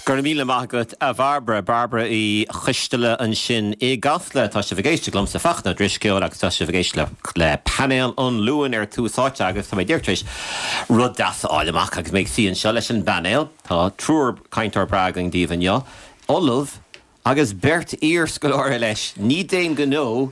Go raibh míle maith agat a Bhairbre, Bairbre Uí Choisteala ansin i gCasla. Tá sibh ag éisteacht liomsa, Fachtna Ó Drisceoil, agus tá sibh ag éisteacht le Painéal an Luain ar Tús Áite agus tá mé díreach tar éis rud deas a fháil amach agus mé ag suí anseo leis an bpainéal. Tá triúr cainteoir breá againn daoibh inniu, Ollamh agus beirt iar-scoláire leis. Ní d'aon ghnó,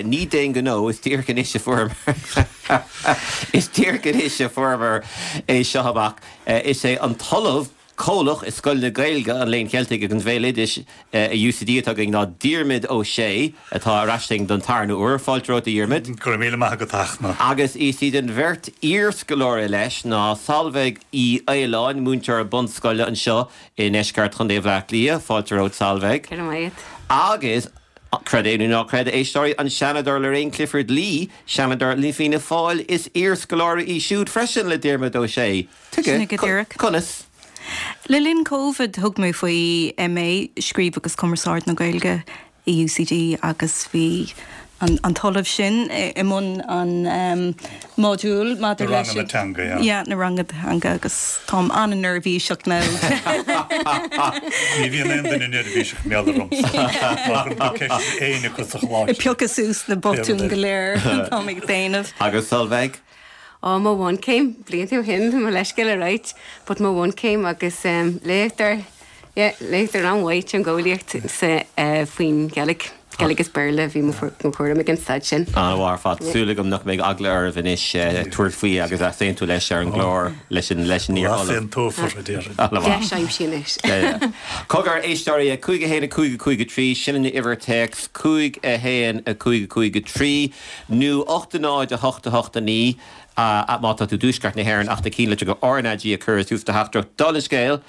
ní d'aon ghnó, is díreach anois a fuaireamar, is díreach anois a fuaireamar é seo amach. Is é an tOllamh Comhlach i Scoil na Gaeilge, an Léinn Cheiltigh agus an Bhéaloidis i UCD atá againn ná Diarmuid Ó Sé, atá ar ais linn don tarna huair. Fáilte romhat, a Dhiarmuid. Go raibh míle maith agat, a Fhachtna. Agus is iad an bheirt iarscoláire leis ná Solveig Uí Fhaoláin, múinteoir bunscoile anseo i ndeisceart Chontae Bhaile Átha Cliath, fáilte romhat, Solveig. Go raibh maith agat. Agus, creid é nó ná creid, a éisteoirí, an Seanadóir Lorraine Clifford-Lee, Seanadóir le Fianna Fáil, is iarscoláire í siúd freisin le Diarmuid Ó Sé. Sin é go díreach. Conas? Le linn Covid thug mé faoi MA, Scríobh agus Cumarsáid na Gaeilge, i UCD agus bhí an t-ollamh sin i mbun an modúl maidir leis. Na ranganna teanga, yeah. Yeah, na ranganna teanga agus táim an-neirbhíseach now. Ní bhíonn aon duine neirbhíseach mar gheall ormsa. Má chuireann tú ceist ar éinne acu sa choláiste. Ag piocadh suas na botúin go léir atáim ag déanamh. Agus Solveig? Ó, mo bhunchéim, blianta ó shin, mo leithscéal a ráit, but mo bhunchéim agus léachtóir, yeah, léachtóir an-mhaith teangeolaíocht sa, faoin Ghaeilge, Gaeilge agus Béarla a bhí mo chúram ag an staid sin. An-mhaith ar fad. Súil agam nach mbeidh eagla oraibh anois tabhairt faoi agus easaontú leis ar an gclár leis an, leis an iar-ollamh. Easaontófar, a déarfainn. An-mhaith. Deis aimsithe anois. Yeah, yeah. Cogar, éisteoirí, 5 1 5 5 3, sin an uimhir téacs, 5 1 5 5 3. nó 8 0 8 8 9 má tá tú i dtuaisceart na hÉireann ach na cinnlitreacha RnaG a chur i dtús do theachtaireacht. Dála an scéil,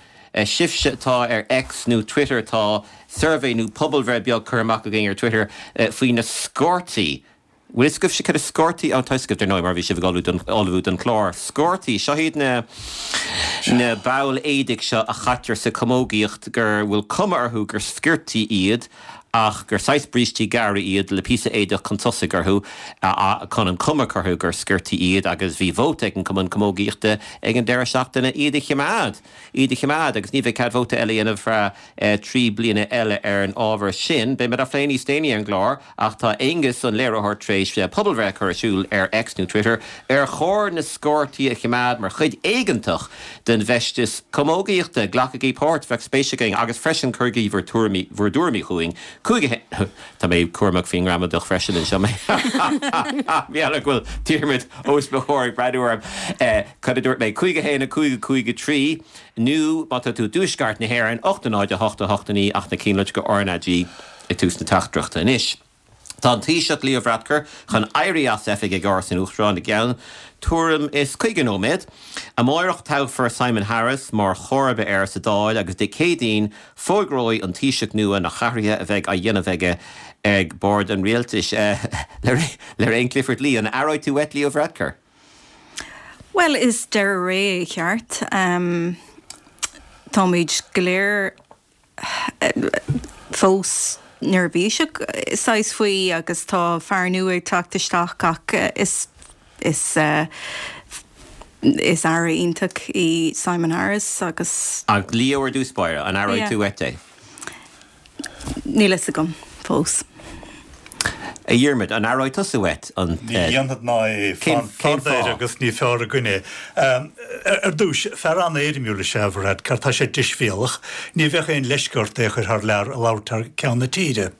sibhse atá ar X nó Twitter tá suirbhé nó pobalbhreith beag curtha amach againn ar Twitter faoi na sciortaí. Bhfuil fhios agaibhse cad is sciortaí ann? Tá fhios agaibh, dar ndóigh, mar bhí sibh ag ullmhú don, ullmhú don chlár. Sciortaí, seo iad na, na baill éadaigh seo a chaitear sa chamógaíocht gur bhfuil cuma orthu gur sciortaí iad ach gur saghas brístí gearra iad le píosa éadach chun tosaigh orthu chun an chuma a chur orthu gur sciortaí iad agus bhí vóta ag an Cumann Camógaíochta ag an deireadh seachtaine iad a choimeád, iad a choimeád agus ní bheidh cead vóta eile a dhéanamh feadh 3 bliana eile ar an ábhar sin. Beidh muid á phlé níos déanaí ar an gclár ach tá Aonghus, an léiritheoir, tar éis pobalbhreith a chur ar siúl ar X nó Twitter ar chóir na sciortaí a choimeád mar chuid éigeantach den bhfeisteas camógaíochta. Glacaigí páirt, bheadh spéis againn, agus freisin cuirigí bhur tuairimí, bhur dtuairimí chugainn. 5 1 Tá mé cúramach faoin ngramadach freisin anseo. Mar go bhfuil Diarmuid os mo chomhair ag breathnú orm. Cad a dúirt mé? 5 1 5 5 3 nó má tá tú i dtuaisceart na hÉireann, 8 0 8 8 9 ach na cinnlitreacha RnaG i dtús na teachtaireachta anois. Tá an Taoiseach Leo Varadkar chun éirí as oifig ag Áras an Uachtaráin i gceann tuairim is 50 nóiméad. Amáireach toghfar Simon Harris mar chomharba air sa Dáil agus Dé Céadaoin fógróidh an Taoiseach nua na hathruithe a bheidh á dhéanamh aige ag bord an rialtais. Lorraine Clifford-Lee, an aireoidh tú uait Leo Varadkar? Bhuel, is deireadh ré é ceart. Táimid go léir fós neirbhíseach saghas faoi agus tá fear nua ag teacht isteach ach is is is aire iontach í Simon Harris agus. Ach Leo ar dtús báire, an aireoidh tú uait é? Níl fhios agam fós. A Dhiarmaid, an aireoidh tusa uait an. Ní dhéanfad ná é. Cén Fad air fáth? agus ní fearr againn é. Ar dtús, fear an-éirimiúil is ea Varadkar, tá sé deisbhéalach, ní bheadh aon leisce ort é a chur thar lear a labhairt thar ceann na tíre.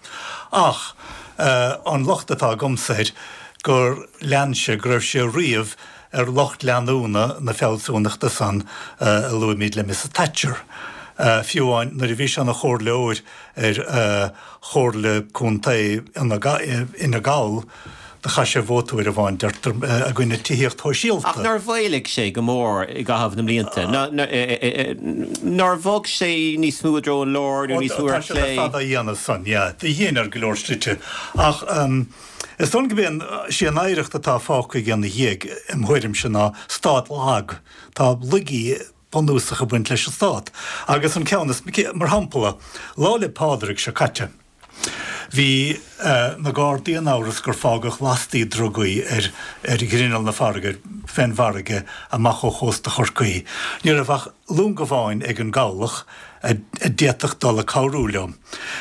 Ach an locht atá agamsa air gur lean sé, go raibh sé riamh ar lucht leanúna na fealsúnachta san a luaimid le Mrs Thatcher. Fiú amháin nuair a bhí sé ina chomhairleoir ar Chomhairle Contae Fhine Gall, do chaith sé vóta uair amháin, deirtear, i gcoinne tithíocht shóisialta. Ach nár mhaolaigh sé go mór i gcaitheamh na mblianta? Nár bhog sé níos mó i dtreo an láir nó níos mó ar chlé? Tá sé le fada á dhéanamh san, yeah. Do dhein ar go leor slite. Ach is dóigh liom gurb é an, sí an oidhreacht atá fágtha aige ina dhiaidh, im thuairimse, ná stát lag. Tá laigí bunúsach ag baint leis an stát. Agus an ceann is, mar shampla, Lá 'le Pádraig seo caite, bhí na Gardaí in amhras gur fágadh lastaí drugaí ar ar ghrinneall na farraige, fén bhfarraige amach ó chósta Chorcaí. Ní raibh ach. long amháin ag an gcabhlach a d'fhéadfadh dul ag cabhrú leo.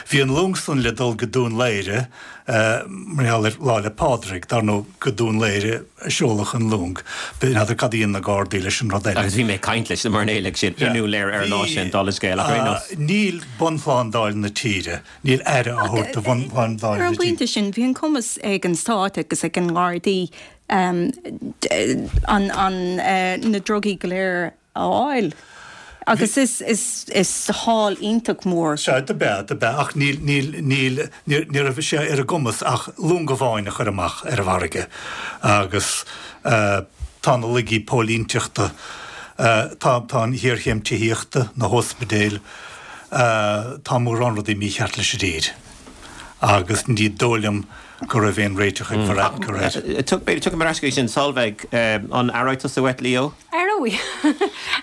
Bhí an long san le dul go Dún Laoghaire mar gheall ar Lá 'le Pádraig, dar ndóigh go Dún Laoghaire a seoladh an long. N'fheadar cad a dhein na Gardaí leis an rud eile. Agus bhí mé ag caint leis na mairnéalaigh sin i nDún Laoghaire ar an lá sin, dála scéil, ach ar aon nós. Níl bunshlándáil na tíre, níl aire á thabhairt do bhunshlándáil na Ar an tíre. bpointe sin, bhí an cumas ag an stát agus ag an nGardaí an na drugaí go léir a fháil agus is sháil iontach mór. Sea, do b'ea, do b'ea, ach níl, níl, níl, ní raibh sé ar a gcumas ach long amháin a chur amach ar an bhfarraige agus tá na laigí póilínteachta, tá, tá an ghéarchéim tithíochta, na hóspidéil, tá mórán rudaí mícheart leis an dtír agus ní dóigh liom go raibh aon réiteach ag Varadkar air. B'fhéidir, tiocfaidh mé ar ais go dtí sin, Solveig, an aireoidh tusa uait Leo? Aireoidh.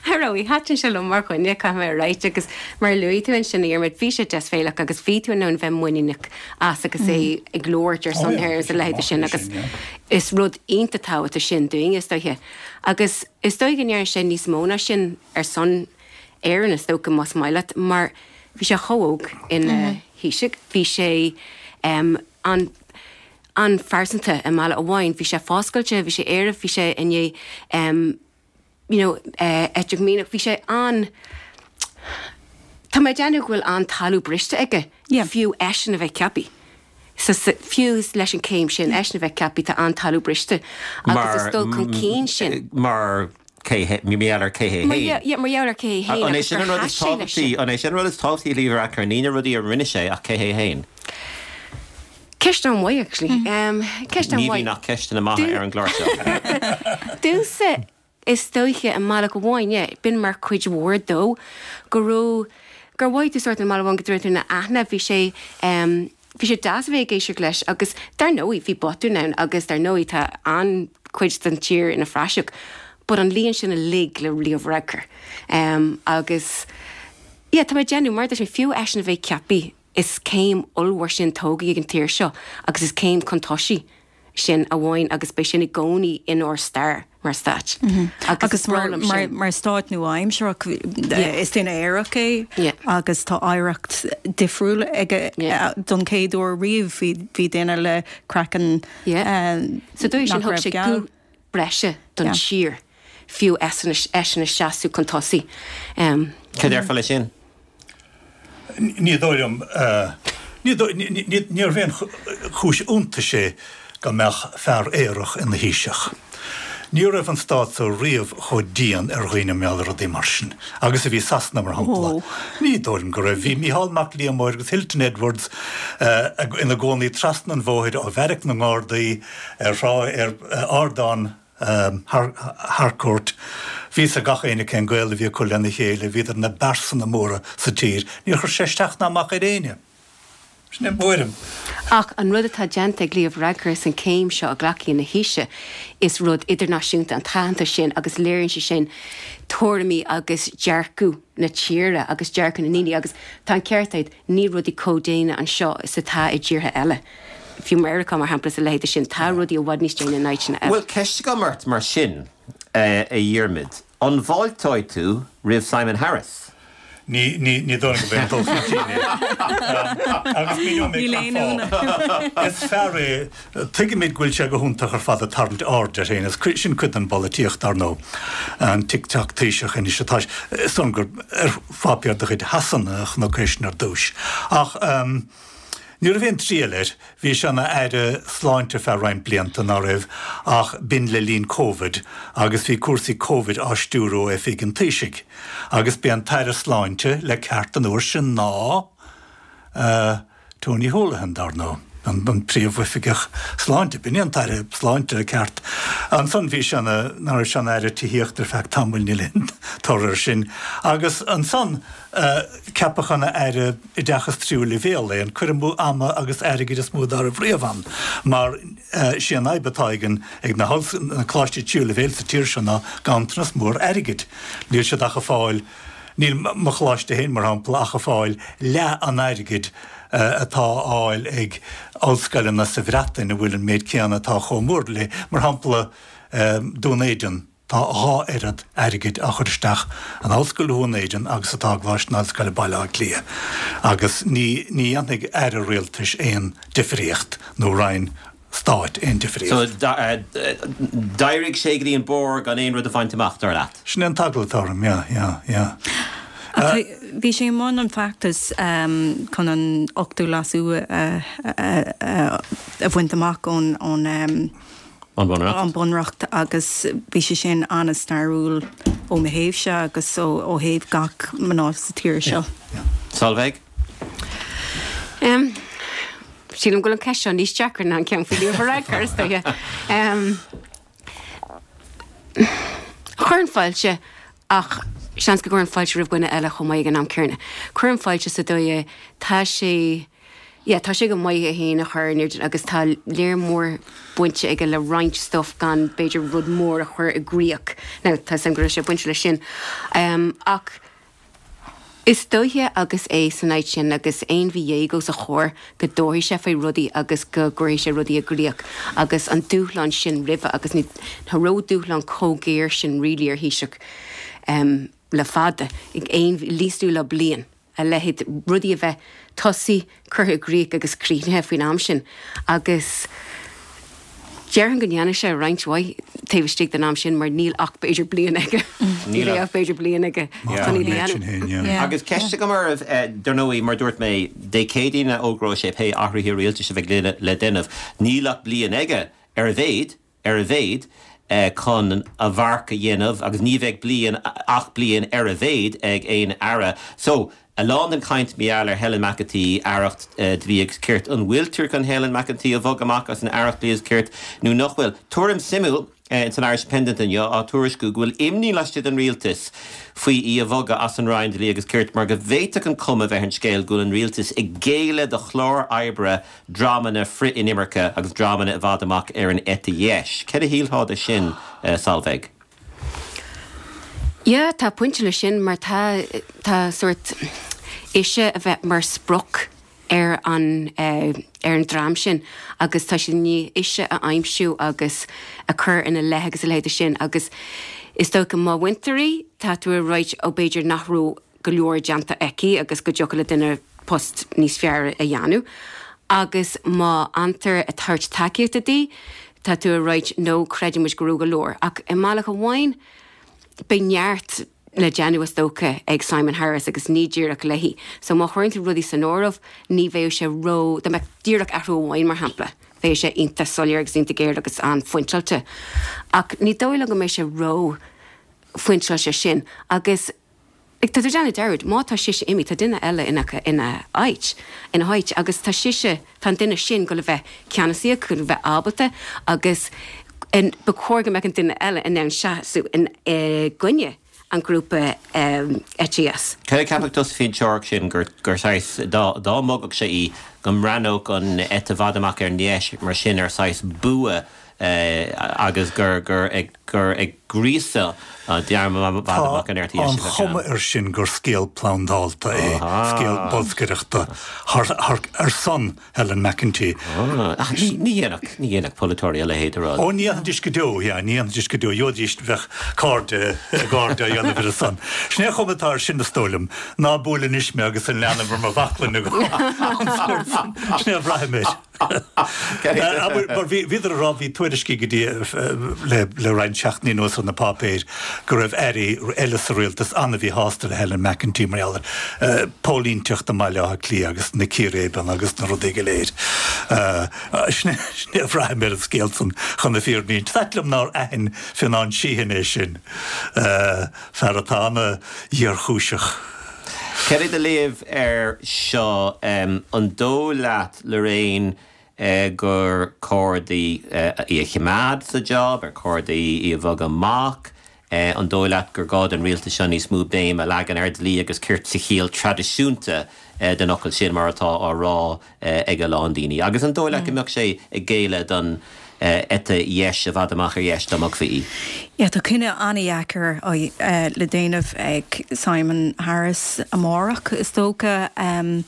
Aireoidh. Thaitin sé liom mar dhuine, caithfidh mé a ráit, agus mar a luaigh tú ansin, a Dhiarmuid, bhí sé deisbhéalach agus bhí tú in ann bheith muiníneach as agus é ag labhairt ar son na hÉireann is a leithéid sin agus is rud iontach tábhachtach sin dúinne, is dóiche. Agus is dóigh go ndearna sé níos mó ná sin ar son Éireann, is dócha, más maith leat, mar bhí sé chomh óg ina Thaoiseach, bhí sé an an-phearsanta i mbealach amháin. Bhí sé foscailte, bhí sé aerach, bhí sé i ndiaidh you know eiteach mianach, bhí sé an Tá mé ag déanamh go bhfuil an-talamh briste aige, fiú eisean a bheith ceaptha. So fiú leis an céim sin, eisean a bheith ceaptha, tá an-talamh briste agus is dul chun cinn sin. Mar cé hé, mar gheall ar cé hé féin. Yeah, mar gheall ar cé hé féin An é sin an rud is tábhachtaí, an é sin an rud is tábhachtaí le Leo Varadkar, ní na rudaí a rinne sé ach cé hé féin? Ceist an-mhaith, actually. Ceist Ní an-mhaith. bhíonn ach ceisteanna maithe ar an gclár seo. Domhsa, is dóiche, i mbealach amháin, yeah, b'in mar chuid mhór dó, go raibh, gur mhothaigh tú sórt i mbealach amháin go raibh tú ina aithne, bhí sé, bhí sé deas a bheith ag éisteacht leis agus dar ndóigh bhí botúin ann agus dar ndóigh tá an-chuid den tír ina phraiseach, but an líon sin uilig le Leo Varadkar. Agus yeah, tá mé ag déanamh, mar a dúirt mé, fiú eisean a bheith ceaptha, Is céim ollmhór sin tógtha ag an tír seo agus is céim chun tosaigh sin amháin agus beidh sin i gcónaí inár stair mar stát. Agus mar mar stát nua-aimsearach is duine aerach é agus tá oidhreacht difriúil aige don chéad uair riamh bhí duine le craiceann Sa dóigh sin thug sé guth breise don tír fiú eisean ag seasamh chun tosaigh. Cad déarfá leis sin? Ní dóigh liom, níorbh aon chúis iontais é go mbeadh fear aerach ina Thaoiseach. Ní raibh an stát so riamh chomh dian ar dhaoine mar gheall ar rudaí mar sin agus a bhí Sasana, mar shampla. Ní dóigh liom go raibh. Bhí Mícheál Mac Liammóir agus Hilton Edwards ina gcónaí trasna an bhóthair ó bheairic na nGardaí ar thrá ar ardán Harcourt. Bhí fhios ag gach éinne cén gaol a bhí acu lena chéile, bhíodar ina bpearsana móra sa tír. Níor chuir sé isteach ná amach ar éinne. Sin é mo thuairim. Ach an rud atá déanta ag Leo Varadkar is an céim seo a ghlacadh ina Thaoiseach, is rud idirnáisiúnta an t-aitheantas sin agus léiríonn sé sin tuairimí agus dearcadh na tíre agus dearcadh na ndaoine agus tá an ceart agat, níl rudaí chomh déine anseo is atá i dtíortha eile. Fiú Meiriceá, mar shampla, is a leithéid sin, tá rudaí i bhfad níos déine in áiteanna eile. Bhuel, ceist agam ort mar sin, a Dhiarmaid. An bhfáilteoidh tú roimh Simon Harris? Ní, ní, ní dóigh liom go mbeidh dul chun cinn é. Agus míneoidh mé Níl aon cén fáth. Is fear é, tuigimid go bhfuil sé go hiontach ar fad ag tarraingt aird air féin, is sin cuid den bpolaitíocht, dar ndóigh. An TikTok Taoiseach anois atá, is dóigh liom gur ar pháipéar de chuid Shasana a chonac é sin ar dtús. Ach, Ní raibh aon triail air. Bhí sé ina Aire Sláinte ar feadh roinnt blianta, ná raibh, ach b'in le linn Covid agus bhí cúrsaí Covid á stiúrú ó oifig an Taoisigh. Agus b'é an tAire Sláinte le ceart an uair sin ná Tony Holohan, dar ndóigh, an Príomhoifigeach Sláinte. B'in é an tAire Sláinte le ceart. Ansan bhí sé ina, ná raibh sé ina Aire Tithíochta ar feadh tamaill, níl aon toradh air sin. Agus ansan ceapadh ina Aire Oideachas Tríú Leibhéal é, an cur amú ama agus airgid is mó dá raibh riamh ann, mar sí an fhadhb atá ag an, ag na na coláistí tríú leibhéal sa tír seo ná ganntanas mór airgid. Níl siad ach ag fáil, níl mo choláiste féin, mar shampla, ach ag fáil leath an airgid atá á fháil ag ollscoileanna sa Bhreatain a bhfuil an méid céanna atá chomh mór léi, mar shampla, Dún Éideann. Tá a dhá oiread airgid á chur isteach in Ollscoil Dhún Éideann agus atá i gColáiste na hOllscoile Baile Átha Cliath agus ní ní dhéanfaidh aire rialtais aon difríocht nó roinn stáit aon difríocht. So, d'éirigh sé go dtí an barr gan aon rud a bhaint amach, dar leat? Sin é an t-eagla atá orm, yeah, yeah, yeah. Ach bhí sé i mbun an feachtais chun an ochtú leasú a bhaint amach ón An Bunreacht. An Bunreacht agus bhí sé sin an-stairiúil ó mo thaobhse agus ó thaobh gach mná sa tír seo. Solveig? Sílim go bhfuil an ceist seo níos deacra ná an ceann faoi Leo Varadkar, is dóiche. Chuirfinn fáilte ach seans go gcuirfinn fáilte roimh dhuine eile chomh maith ag an am céanna. Cuirim fáilte sa dóigh tá sé, yeah, tá sé go maith é féin a chur in airde agus tá léar mór bainte aige le roinnt stuff gan b'fhéidir rud mór a chur i gcríoch. Now, tá 'fhios a'm go raibh sé bainte leis sin. Ach is dóiche agus é san áit sin agus aon mhí dhéag os a chomhair go dtabharfaidh sé faoi rudaí agus go gcuirfidh sé rudaí i gcríoch agus an dúshlán sin roimhe agus ní raibh dúshlán chomh géar sin really ar Thaoiseach le fada, aon níos lú ná bliain. a leithéid, rudaí a bheith tosaithe, curtha i gcrích agus críochnaithe faoin am sin agus déarfainn go ndéanfaidh sé roinnt mhaith taobh istigh den am sin mar níl ach b'fhéidir bliain aige. Ní bheidh ach b'fhéidir bliain aige chun iad a dhéanamh. Agus ceist agam oraibh, dar ndóigh, mar dúirt mé, Dé Céadaoin a fhógróidh sé pé athruithe rialtais a bheidh le déanamh. Níl ach bliain aige, ar a mhéad. ar a mhéad, chun a mharc a dhéanamh agus ní bheidh bliain ach bliain ar a mhéad ag aon aire. So, a lán den chaint mar gheall ar Helen McEntee, Aireacht Dlí agus Cirt. An bhfuiltear chun Helen McEntee a bhogadh amach as an Aireacht Dlí agus Cirt nó nach bhfuil? Tuairim suimiúil san Irish Independent inniu á tuairisciú go bhfuil imní laistigh den rialtas faoi í a bhogadh as an Roinn Dlí agus Cirt mar go bhféadfadh an chuma bheith ar an scéal go bhfuil an rialtas ag géilleadh do chlár oibre dreamanna frith-inimirce agus dreamanna i bhfad amach ar an eite dheis. Céard a shílfeá de sin, Solveig? Yeah, tá pointe leis sin mar tá, tá sórt ise a bheith mar sprioc ar an, ar an dream sin agus tá siad i ndiaidh ise a aimsiú agus a chur ina leith agus a leithéid de sin agus is dócha má bhaintear í, tá tú ag ráit ó b'fhéidir nach raibh go leor déanta aici agus go dtiocfadh le duine post níos fearr a dhéanamh. Agus má fhantar ag tabhairt tacaíochta di, tá tú ag ráit no, creideann muid go raibh go leor. Ach i mbealach amháin, beidh neart le déanamh is dócha ag Simon Harris agus ní díreach léi. So má chuireann tú rudaí san áireamh, ní bheadh sé ró, dá mbeadh díreach athrú amháin mar shampla, bheadh sé iontach soiléir agus iontach géar agus an-phointeáilte. Ach ní dóigh liom go mbeidh sé ró phointeáilte sin. Agus. Tá tú ag déanamh dearúd, má tá sise imithe, tá duine eile ina, ina áit, ina háit agus tá sise, tá an duine sin ag goil a bheith ceannasaíoch, ag goil a bheith ábalta agus ba chóir go mbeadh an duine eile in ann seasamh in, i gcoinne an ghrúpa eite dheis. Céard a cheapfadh tusa faoin teoiric sin gur, gur saghas, dá, dá mbogfadh sé í, go mbreathnódh an eite i bhfad amach ar an dheis mar sin ar saghas bua agus gur gur ag gur ag gríosadh dream i bhfad amach an eite dheis a bheadh ann. Tá an chuma air sin gur scéal plandáilte é, scéal bolscaireachta thar thar ar son Helen McEntee. Ach ní ní dhéanfadh ní dhéanfadh polaiteoirí a leithéid de rud. Ó ní dhéanfaidís go deo, yeah, ní dhéanfaidís go deo. Gheobhaidís, bheadh cairde, a gcairde á dhéanamh ar a son. Sin é an chuma atá air sin is dóigh liom. Ná buail anois mé agus an leanbh ar mo bhaclainn agam. An sórt sin. Sin é a bhraithim air. Mar bhíodar ag rá, bhí tuairiscí go dtí le roinnt seachtainí anuas ar na páipéir go raibh airí eile sa rialtas an-mhíshásta le Helen McEntee mar gheall ar póilínteacht i mBaile Átha Cliath agus na círéibeanna agus na rudaí go léir. Sin é a bhraithim ar an scéal san chun na fírinne a insint. Is ait liom nár aithin Fionán Sheehan é sin, fear atá an-ghéarchúiseach. Céard é do léamh air seo? An dóigh leat, Lorraine, gur cóir di í a choimeád sa job? Ar chóir di í a bhogadh amach? An dóigh leat gur gá don rialtas seo níos mó béim a leagan ar dhlí agus cirt sa chiall traidisiúnta den fhocal sin, mar atá á rá ag a lán daoine? Agus an dóigh leat go mbeadh sé ag géilleadh don eite dheis i bhfad amach ar dheis dá mbogfaí í? Yeah, tá cinneadh an-dheacair le déanamh ag Simon Harris amárach, is dócha.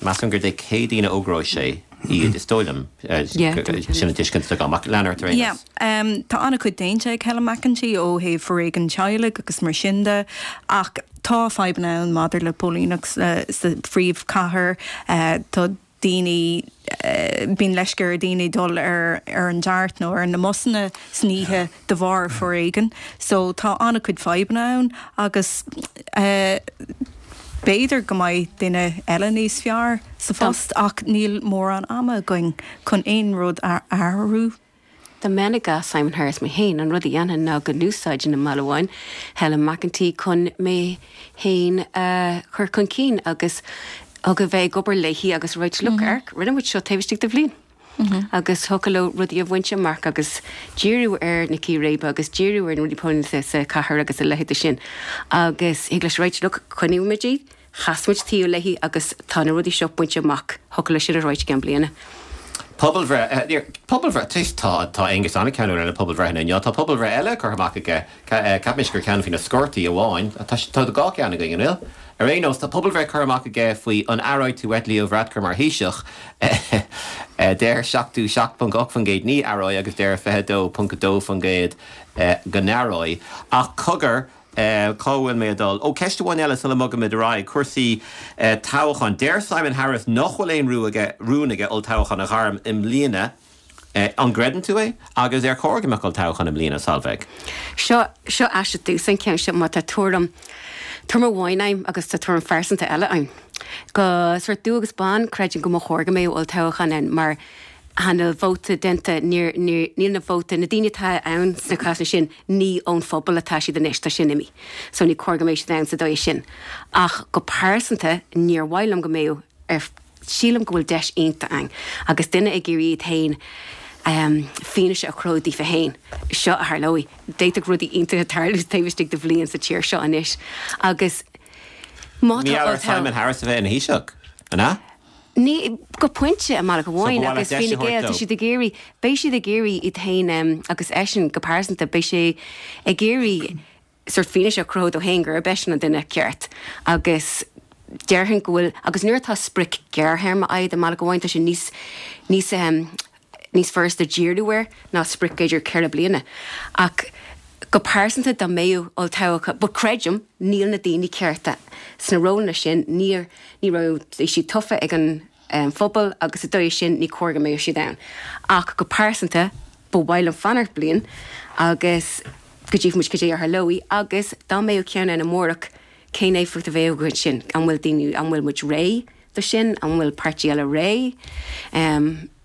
Measaim gur Dé Céadaoin a fhógróidh sé. iad, is dóigh liom. Sin an tuiscint atá agam, ach lean ort ar aon nós. Yeah. Tá an-chuid déanta ag Helen McEntee ó thaobh foréigean teaghlaigh agus mar sin de, ach tá fadhbanna ann maidir le póilíneacht sa phríomhchathair. Tá daoine, bíonn leisce ar dhaoine dul ar an DART nó ar na mbusanna san oíche de bharr foréigean. So tá an-chuid fadhbanna ann agus b'fhéidir go mbeidh duine eile níos fearr sa phost ach níl mórán ama againn chun aon rud a athrú. Dá mbeinn i gcás Simon Harris mé féin, an rud a dhéanfainn ná go n-úsáidfinn i mbealach amháin Helen McEntee chun mé féin a chur chun cinn agus thiocfadh a bheith ag obair léi agus ráit look, amharc, rinne muid seo taobh istigh de bhliain. Agus thiocfadh leo rudaí a bhaint amach agus díriú ar na círéibe agus díriú ar na rudaí póilíneachta sa chathair agus a leithéid de sin. Agus thig leis ráit look, coinneoidh muid í. Chas muid taobh léi agus tá na rudaí seo bainte amach, thiocfadh leis sin a ráit i gceann bliana. Pobalbhreith, pobalbhreith, tá, tá Aengus an-cheanúil ar na pobalbhreitheanna inniu. Tá pobalbhreith eile curtha amach aige, ceapaimse gur ceann faoi na scórtaí amháin, tá, tá dhá cheann againn, an bhfuil? Ar aon nós, tá pobalbhreith curtha amach aige faoi an aireoidh tú uait Leo Varadkar mar Thaoiseach. Deir 77.8% ní aireoidh agus deir 22.2% go n-aireoidh. Ach cogar, Cá bhfuil mé ag dul? Ó, ceist amháin eile sula mbogaimid ar aghaidh, cúrsaí toghcháin. Deir Simon Harris nach bhfuil aon rún aige olltoghchán a ghairm i mbliana. An gcreideann tú é? Agus ar chóir go mbeadh olltoghchán i mbliana, Solveig? Seo, seo aisteach domhsa an ceann seo, mar tá tuairim, tuairim amháin a'm agus tá tuairim phearsanta eile a'm. Go sórt dubh agus bán, creidim go mba chóir go mbeadh olltoghchán ann mar tá na vóta déanta, níor, níor, níl na vóta, na daoine atá ann sna cásanna sin, ní ón phobal atá siad anois, tá sin imithe. So ní cóir go mbeadh siad ann sa dóigh sin. Ach go pearsanta, níor mhaith liom go mbeadh ar, sílim go bhfuil deis iontach ann agus duine ag iarraidh iad féin fianaise a chruthú daofa féin, seo a tharlóidh. D'fhéadfadh rudaí iontacha tarlú taobh istigh de bhliain sa tír seo anois. Agus má tá Ní ar Simon Harris a bheith ina Thaoiseach, an ea? Ní, go pointe, i mbealach amháin, agus Fine Gael, tá siad ag iarraidh, beidh siad ag iarraidh iad féin, agus eisean go pearsanta, beidh sé ag iarraidh sórt fianaise a chruthú dó féin gurb eisean an duine ceart. Agus déarfainn go bhfuil, agus nuair atá sprioc gearrthéarma agat i mbealach amháin, tá sé níos, níos, níos furasta díriú air ná sprioc b'fhéidir 4 bliana. Ach go pearsanta dá mbeadh olltoghchán, but creidim, níl na daoine cearta sna rólanna sin, níor, ní raibh siad tofa ag an phobal agus sa dóigh sin ní cóir go mbeadh siad ann. Ach go pearsanta ba mhaith liom fanacht bliain agus go dtchífidh muid cad é a tharlóidh agus dá mbeadh ceann ann amárach cén éifeacht a bheadh aige sin? An bhfuil daoine, an bhfuil muid réidh do sin? An bhfuil páirtí eile réidh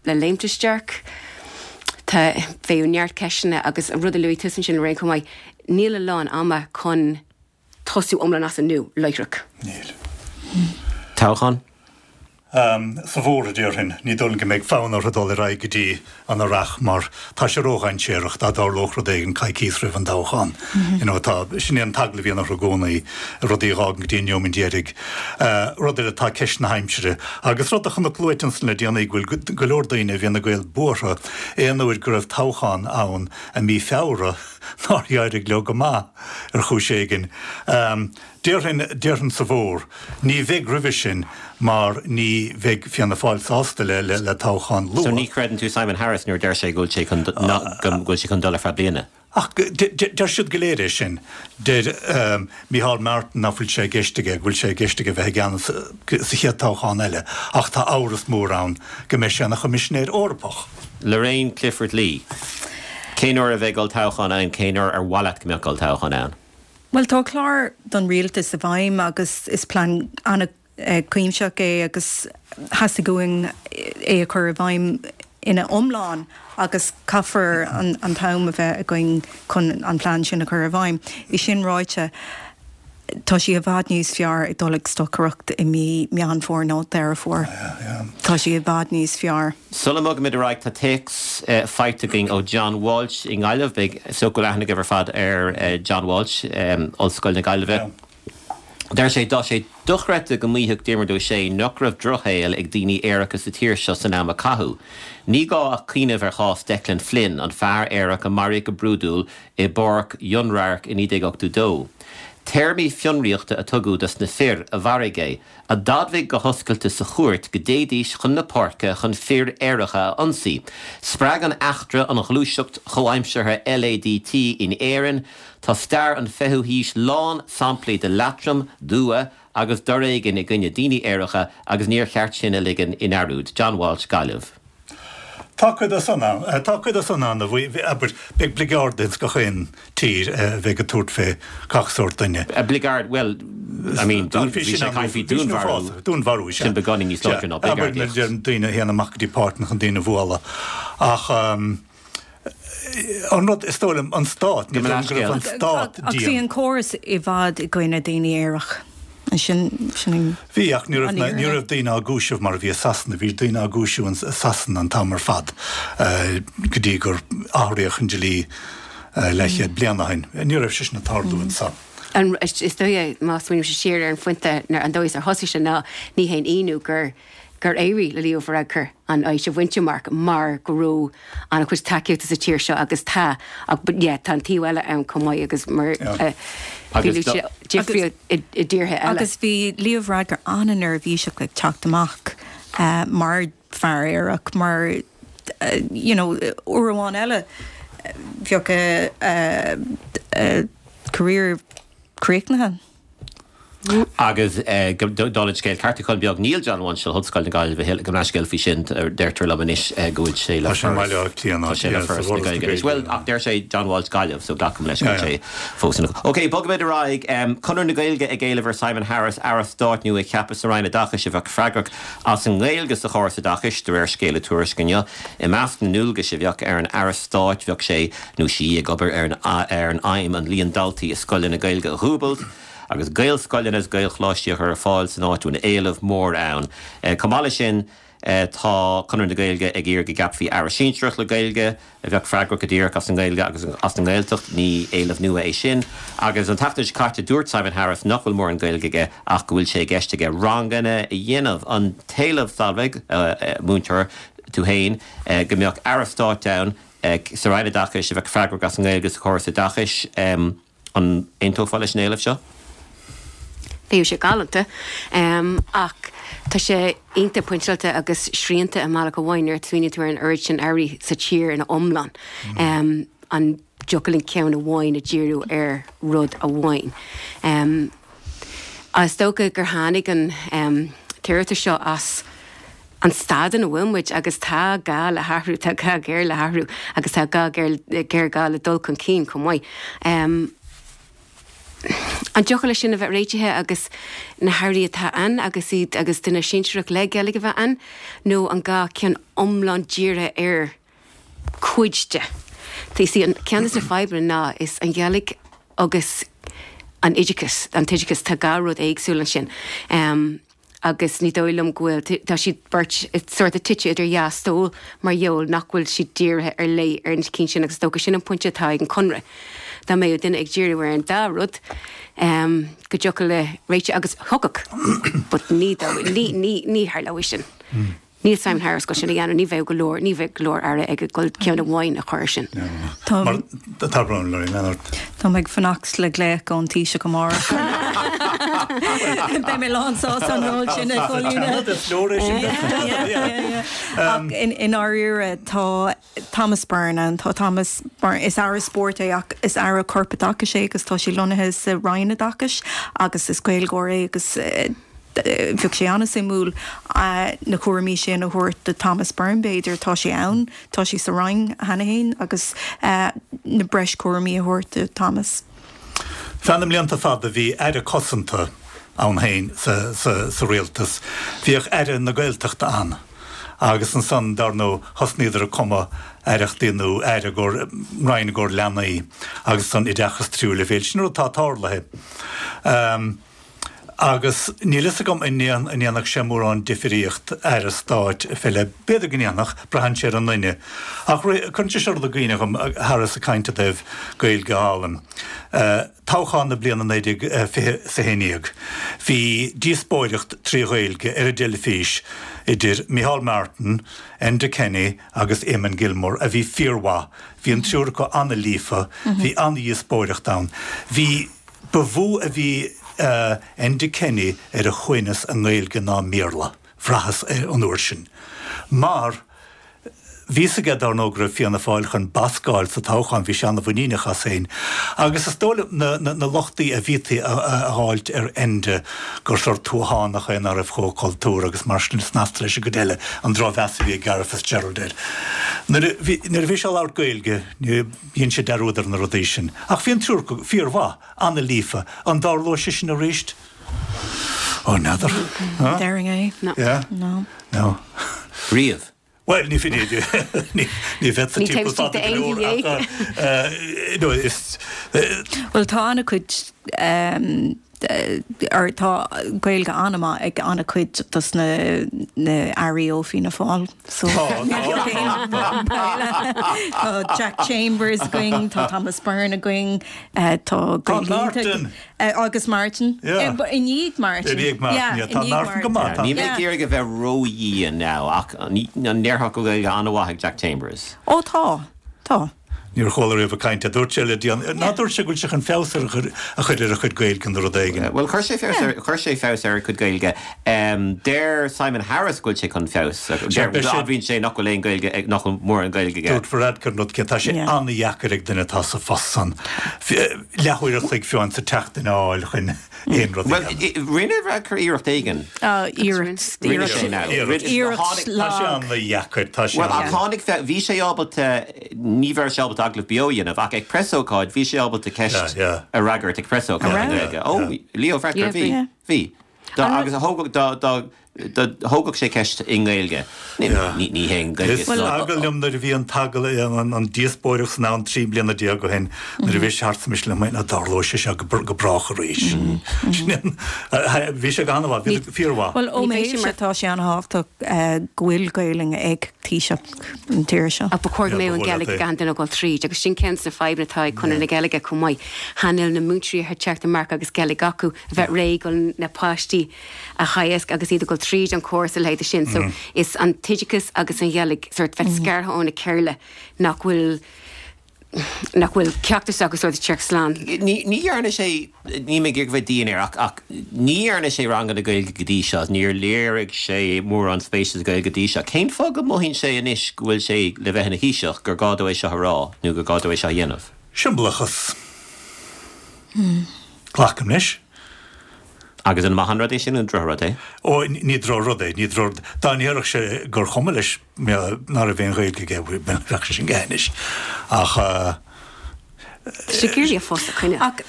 le léimt isteach? Tá, bheadh neart ceisteanna agus an rud a luaigh tusa ansin Lorraine chomh maith, níl a lán ama chun tosú iomlán as an nua láithreach. Níl. Toghchán? Sa bhfómhar, a déarfainn. Ní dóigh liom go mbeidh fonn orthu dul ar aghaidh go dtí an Earrach mar tá sé ródhainséarach dá dtarlódh rud éigin coicíos roimh an dtoghchán. You know, tá, sin é an t-eagla a bhíonn orthu i gcónaí, rudaí a dh'fhágaint go dtí an neomant deiridh. Rud eile, tá ceist na haimsire. Agus rud a chonac luaite ansan le déanaí, go bhfuil go leor daoine i bhFine Gael buartha aon uair go raibh toghchán ann i mí Feabhra nár éirigh leo go maith ar chúis éigin. Déarfainn, déarfainn sa bhfómhar. Ní bheidh roimhe sin mar ní bheidh Fianna Fáil sásta le, le, le toghchán luath. So ní chreideann tú Simon Harris nuair a deir sé go bhfuil sé chun, go bhfuil sé chun dul ar feadh bliana? Ach deir siad go léir é sin. Deir Micheál Martin nach bhfuil sé i gceist aige, go bhfuil sé i gceist aige bheith i gceannas sa chéad toghchán eile ach tá amhras mór ann go mbeidh sé ina Choimisinéir Eorpach. Lorraine Clifford-Lee, Cén uair a bheidh olltoghchán ann, cén uair ar mhaith leat go mbeadh olltoghchán ann? Bhuel, tá clár don rialtas i bhfeidhm agus is plean an-chuimsitheach é agus theastaigh uainn é a chur i bhfeidhm ina iomlán agus caithfear an t-am a bheith againn chun an plean sin a chur i bhfeidhm. É sin ráite, tá sé i bhfad níos fearr ag dul ag stocaireacht i mí Meán Fómhair nó Deireadh Fómhair. Tá sé i bhfad níos fearr. Sula mbogaimid ar aghaidh, tá téacs faighte againn ó John Walsh i nGaillimh. Beidh, is dócha go bhfuil aithne agaibh ar fad ar John Walsh, Ollscoil na Gaillimhe. Deir sé, Tá sé dochreidte go maífeadh Diarmuid Ó Sé nach raibh drochshaol ag daoine aeracha sa tír seo san am a caitheadh. Ní gá ach cuimhneamh ar chás Declan Flynn, an fear aerach a maraíodh go brúidiúil i bPáirc Fhionnradhairc i 1982. Téarmaí fionraíochta a tugadh dos na fir a mharaigh é, a d'admhaigh go hoscailte sa chúirt go dtéidís chun na páirce chun fir aeracha a ionsaí. Spreag an eachtra an ghluaiseacht chomhaimseartha LADT in Éirinn. Tá stair an fichiú haois lán samplaí de leatrom, d'fhuath agus d'fhoréigean i gcoinne daoine aeracha agus níor cheart sin a ligean i ndearúd. John Walsh, Gaillimh. Tá cuid de san ann. Tá cuid de san ann a bhí, abair, beidh bligeard ins gach aon tír a bheidh ag tabhairt fé gach sórt duine. Bligeard, bhuel, I mean, dún, bhí sé ag caint faoi dúnmharú. Dúnmharú, sea. Sin beagáinín níos láidre ná bligeardaíocht. Abair, nuair a deireann daoine a théann amach go dtí páirceanna chun daoine a bhualadh. Ach an rud, is dóigh liom, an stát, ní dóigh liom go raibh an stát dian. Ach bhí an córas i bhfad i gcoinne daoine aerach. Sin, sin an. Bhí, ach ní raibh, ní raibh daoine á gcúiseamh mar a bhí i Sasana. Bhí daoine á gcúiseamh i Sasana an t-am ar fad go dtí gur athraíodh an dlí leathchéad bliain ó shin. Ní raibh sé sin ag tarlú anso. An, is dóigh, má smaoinímse siar ar an phointe, an dóigh is ar thosaigh sé ná ní haon ionadh gur, gur éirigh le Leo Varadkar an fheis a bhaint amach mar go raibh an-chuid tacaíochta sa tír seo agus tá ach but yeah tá an taobh eile ann chomh maith agus mar a bhí luaite difríocht i dtíortha eile. Agus bhí Leo Varadkar an-neirbhíseach ag teacht amach mar fear aerach mar you know uair amháin eile bheadh a career críochnaithe. Agus dála an scéil, ceartúchán beag, níl John Walsh le hOllscoil na Gaillimhe a thuilleadh, gabh mo leithscéal faoi sin, deirtear liom anois go bhfuil sé le Foras na Gaeilge anois. Bhuel, ach deir sé John Walsh Gaillimh, so glacaim leis go bhfuil sé fós ina. Ok, bogfaimid ar aghaidh. Conradh na Gaeilge ag éileamh ar Simon Harris Aire Stáit nua a cheapadh sa Roinn Oideachais a bheadh freagrach as an nGaeilge sa chóras oideachais, de réir scéala Tuairisc inniu. I measc na ndualgais a bheadh ar an Aire Stáit bheadh sé nó sí ag obair ar an aidhm an líon daltaí i scoileanna Gaeilge a dhúbailt agus Gaelscoileanna is Gaelcholáistí a chur ar fáil san áit a bhfuil éileamh mór ann. Chomh maith leis sin tá Conradh na Gaeilge ag iarraidh go gceapfaí Aire Sinsearach le Gaeilge a bheadh freagrach go díreach as an nGaeilge agus as an nGaeltacht. Ní éileamh nua é sin. Agus an tseachtain seo caite dúirt Simon Harris nach bhfuil mórán Gaeilge aige ach go bhfuil sé i gceist aige ranganna a dhéanamh. An t-éileamh, Solveig, múinteoir tú féin, go mbeadh Aire Stáit ann sa Roinn Oideachais a bheadh freagrach as an nGaeilge sa chóras oideachais. An aontófá leis an éileamh seo? Bheadh sé galánta, ach tá sé iontach pointeáilte agus srianta i mbealach amháin nuair a smaoiníonn tú ar an oiread sin airí sa tír ina iomlán. An dtiocfadh linn ceann amháin a dhíriú ar rud amháin? Is dócha gur tháinig an t-iarratas seo as an staid ina bhfuil muid agus tá gá le hathrú, tá gá géar le hathrú agus tá gá géar le dul chun cinn chomh maith. An dtiocfadh leis sin a bheith réitithe agus na hairí atá ann agus iad agus duine sinsearach le Gaeilge a bheith ann nó an gá ceann iomlán dírithe ar cuid de. You see, an ceann de na fadhbanna ná is an Ghaeilge agus an oideachas, an t-oideachas, tá dhá rud éagsúil ansin. Agus ní dóigh liom go bhfuil, tá siad beirt sort of tite idir dhá stól mar gheall nach bhfuil siad dírithe ar leith ar na cinn sin agus is dócha sin an pointe atá ag an Conradh. Dá mbeadh duine ag díriú ar an dá rud, go dtiocfadh le réiteach agus thiocfadh, but ní, ní, ní, ní tharlóidh sin. Níl Simon Harris ag goil sin a dhéanamh, ní bheadh go leor, ní bheadh go leor aire ag goil ceann amháin a chur air sin. Tá Tá brón Lorraine Leonard. Tá mé ag fanacht le glaoch ón Taoiseach amárach. Beidh mé lán sásta an ról sin a chomhlíonadh. Is leor é sin. Ach i ndáiríre tá Thomas Byrne ann, tá Thomas Byrne, is aire spóirt é ach is aire corpoideachais é agus tá sé lonnaithe sa Roinn Oideachais agus is Gaeilgeoir é agus Bheadh sé an-suimiúil na cúraimí sin a thabhairt do Thomas Byrne, b'fhéidir. Tá sé ann, tá sé sa Roinn cheana féin agus na breis cúraimí a thabhairt do Thomas. Feadh na mblianta fada bhí Aire Cosanta ann féin sa rialtas. Bhíodh Aire na Gaeltachta ann agus ansan, dar ndóigh, thosnaíodar ag cumadh aireachtaí nó aire i gcomhair, roinn i gcomhair leanaí agus ansan oideachas tríú leibhéal. Sin rud atá tarlaithe. Agus níl fhios agam an ndéanfadh sé mórán difríocht Aire Stáit fé leith. B'fhéidir go ndéanfadh, braitheann sé ar an nduine. Ach cuireann sé seo rud i gcuimhne dhom, tharlas ag caint i dtaobh Gaeilge álainn. Toghchán na bliana 1920 's 11. Bhí díospóireacht trí Ghaeilge ar an dteilifís idir Micheál Martin, Enda Kenny agus Eamon Gilmore a bhí fíormhaith. Bhí an triúr acu an-líofa, bhí an-dhíospóireacht ann. Bhí. Ba mhó a bhí Enda Kenny ar a shuaimhneas i nGaeilge ná i mBéarla, bhraitheas é an uair sin. Mar bhí fhios aige, dar ndóigh, go raibh Fianna Fáil chun bascáil sa toghchán, bhí sé an-mhuiníneach as féin. Agus is dóigh liom na lochtaí a bhítí a dh'fháilt ar Enda, gur sórt tuathánach é ná raibh chomh cultúrtha agus mar sin snasta leis an gcuid eile, an drochmheas a bhí ag Garret Fitzgerald air. Nuair a bhí nuair a bhí sé ag labhairt Gaeilge, ní dhein sé dearúd ar na rudaí sin. Ach bhí an triúr acu fíormhaith, an-líofa. An dtarlóidh sé sin arís? Ó, n'fheadar. Déarfainn é. No. Yeah? No. No. Riamh. Bhuel, ní ní ní bheadh sa Ní timpeall taobh istigh fada go d'aon leor mhí ach no is Bhuel, tá an-chuid or tá Gaeilge an-mhaith ag an-chuid dos na na airí ó Fianna Fáil. So Tá, tá, tá. Tá Jack Chambers againn, tá Thomas Byrne againn, tá Tá Gaeilge Martin. Agus Martin. Yeah. I ndiaidh Martin. I ndiaidh Martin, yeah. Tá Martin go maith. Níl mé ag iarraidh a bheith ró-dhian now ach an ndéarfá go bhfuil Gaeilge an-mhaith ag Jack Chambers? Ó tá, tá. Níor chuala riamh ag caint é. Dúirt sé le déanaí, ná dúirt sé go bhfuil sé chun feabhas a chur ar a chuid Gaeilge nó rud éigin. Bhuel, chuir sé feabhas ar, chuir sé feabhas ar a chuid Gaeilge. Deir Simon Harris go bhfuil sé chun feabhas a chur, admhaíonn sé nach bhfuil aon Ghaeilge, nach bhfuil mórán Gaeilge aige. Dúirt Varadkar an rud céanna, tá sé an-dheacair ag duine atá sa phost san. Leathuair a chloig fiú amháin sa tseachtain a fháil chun aon rud a Bhuel, dhéanamh. rinne Varadkar iarracht éigin. Iarracht, Rinne sé now. iarracht, iarracht Tá sé lag. an-dheacair, tá sé Bhuel, ach an-. tháinig, bhí sé ábalta, ní bheadh sé ábalta agallamh beo a dhéanamh, ach ag preasócáid, bhí sé ábalta ceist Yeah, yeah. a fhreagairt ag preasócáid An i raibh? nGaeilge. Ó, Leo Varadkar, Yeah, bhí, bhí. bhí. Dá, agus a thógadh, dá, dá, dá thógadh sé ceist i nGaeilge. Ní, ní hé an Ghaeilge Is eagal liom nuair a bhí an t-agallamh, an díospóireacht san am 13 bliana ó shin, nuair a bhí sé thart sa mise liom, an dtarlóidh sé seo go brách arís. Sin an, bhí sé go han-mhaith, bhí sé fíormhaith. Bhuel, ó mo thaobhse, tá sé an-thábhachtach go bhfuil Gaelainn ag Taoiseach an tír seo. Ach ba chóir go mbeadh an Ghaeilge ag achan duine ag dul tríd, agus sin ceann de na fadhbanna atá ag Conradh na Gaeilge chomh maith. Chan fhuil na múinteoirí ag teacht amach agus Gaeilge acu, a bheith réidh chun na páistí a theagasc agus iad ag dul tríd an chóras a leithéid sin. So is an t-oideachas agus an Ghaeilge sort bheith scartha óna chéile nach bhfuil nach bhfuil ceachtar acu sort ag teacht slán. Ní ní dhearna sé, níl mé ag iarraidh bheith dian air ach ach ní dhearna sé ranganna Gaeilge go dtí seo, níor léirigh sé mórán spéise sa Ghaeilge go dtí seo. Cén fáth go mothaíonn sé anois go bhfuil sé le bheith ina Thaoiseach gur gá dó é seo a rá nó gur gá dó é seo a dhéanamh? Siombalachas. Glacaim leis. Agus an maith an rud é sin nó an drochrud é? Ó, ní drochrud é, ní drochrud. Dá ndéarfadh sé gur chuma leis ná raibh aon Ghaeilge aige, bheadh sé sin go hainnis. Ach. Tá sé ag iarraidh a phost a choinneáil,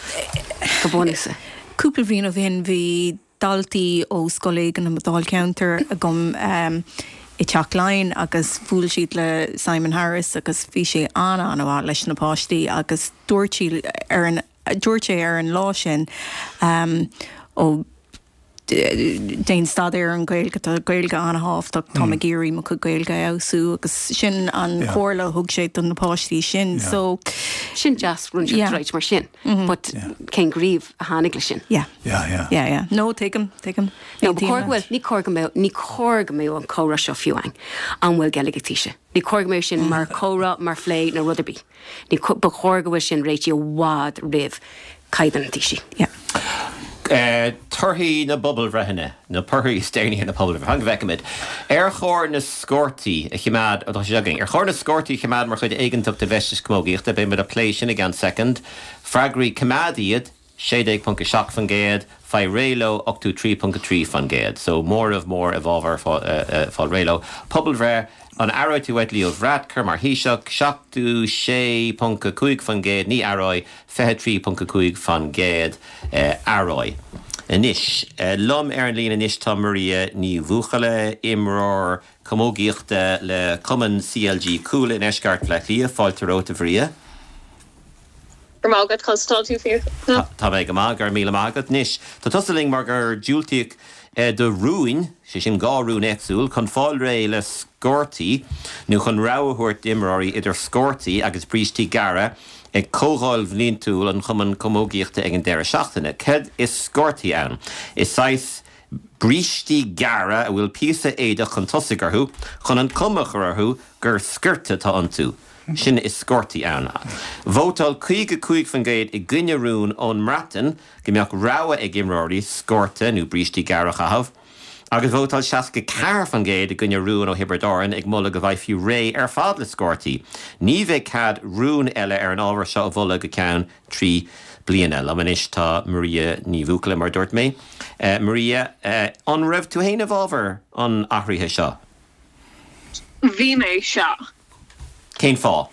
go bunúsach. Cúpla bliain ó shin bhí daltaí ó scoil éigin i mo dháilcheantar agam i dTeach Laighean agus bhuail siad le Simon Harris agus bhí sé an-an-mhaith leis na páistí agus dúirt sí ar an Dúirt sé ar an lá sin, Ó, déan staidéar ar an Ghaeilge, tá Gaeilge an-thábhachtach, táim ag iarraidh mo chuid Gaeilge a fheabhsú agus sin an chomhairle a thug sé do na páistí sin. So. Sin deas, rud right mar sin, but cén gníomh a tháinig leis sin? Yeah. Yeah, yeah. Yeah, yeah. No, tuigim, tuigim. No, ba chóir go bhfuil, ní chóir go mbeadh, ní chóir go mbeadh an comhrá seo fiú ann, an bhfuil Gaeilge ag Taoiseach. Ní chóir go mbeadh sin mar chomhrá, mar phlé nó rud ar bith. Ní, ba chóir go bhfuil sin réitithe i bhfad roimh caighdeán an Taoisigh. Yeah. Torthaí na bpobalbhreitheanna, na torthaí is déanaí ar na pobalbhreitheanna, go bhfeicimid. Ar chóir na sciortaí a choimeád, tá sé againn, ar chóir na sciortaí a choimeád mar chuid éigeantach de bhfeisteas camógaíochta? Beidh muid ag plé sin i gceann soicind. Freagraí, coimeád iad, 16.7%, faigh réidh leo, 83.3%. So, móramh mór i bhfabhar fáil réidh leo. Pobalbhreith, An aireoidh tú uait Leo Varadkar mar Thaoiseach? 76.5%, ní aireoidh, 23.5% aireoidh. Anois, liom ar an líne anois tá Maria Ní Bhuachalla, imreoir camógaíochta le cumann CLG Cuala i ndeisceart Bhaile Átha Cliath. Fáilte romhat, a Mharia. Go raibh maith agat, conas atá tú Fiachna? Tá mé go maith, go raibh míle maith agat. Anois, tá tusa linn mar gur diúltaíodh do rún, sé sin 2 rún éagsúil, chun fáil réidh le sciortaí nó chun rogha a thabhairt d'imreoirí idir sciortaí agus brístí gearra ag comhdháil bhliantúil an Chumainn Camógaíochta ag an deireadh seachtaine. Céard is sciortaí ann? Is saghas brístí gearra a bhfuil píosa éadach chun tosaigh orthu chun an chuma a chur orthu gur sciorta atá iontu. Sin is scórtaí ann. Vótáil 55% i gcoinne rún ón mBreatain go mbeadh rogha ag imreoirí scórta nó brístí gearra a chaitheamh, agus vótáil 64% i gcoinne rúin ó Thiobraid Árann ag moladh go bhfaighfí réidh ar fad le scórtaí. Ní bheidh cead rún eile ar an ábhar seo a mholadh go ceann 3 bliana. Liom anois tá Maria Ní Bhuachalla, mar a dúirt mé. Maria, an raibh tú féin i bhfabhar an athraithe seo? Bhí mé, sea. Cén fáth?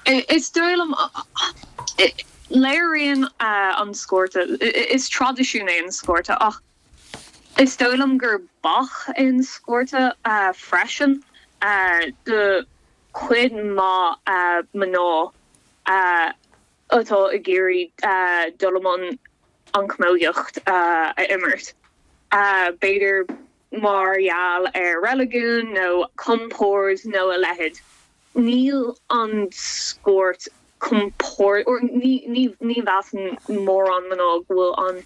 Is dóigh liom, léiríonn an scórta, is traidisiún é an scórta ach is dóigh liom gur bac é an scórta freisin do chuid mhaith mná atá ag iarraidh dul i mbun an chamógaíocht a imirt. B'fhéidir mar gheall ar reiligiún nó compord nó a leithéid. Níl an scórt compord, or ní ní mheasann mórán mná go bhfuil an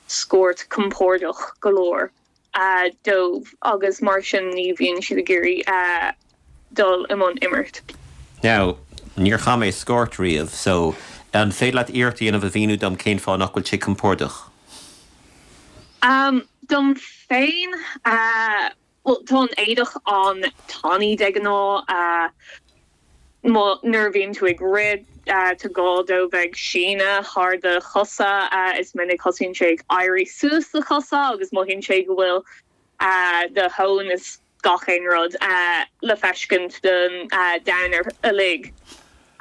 scórt compordach go leor dóibh agus mar sin ní bhíonn siad ag iarraidh dul i mbun imirt. Now, níor chaith mé scórt riamh, so an féidir leat iarracht a dhéanamh a mhíniú dom cén fáth nach bhfuil sé compordach? Dom féin, bhuel, tá an éadach an-tanaí de ghnáth. Nuair a bhíonn tú ag rith, tá gá dó bheith ag síneadh thar do chosa. Is minic thosaíonn sé ag éirí suas do chosa agus mothaíonn sé go bhfuil do thóin is gach aon rud le feiscint don domhan uilig.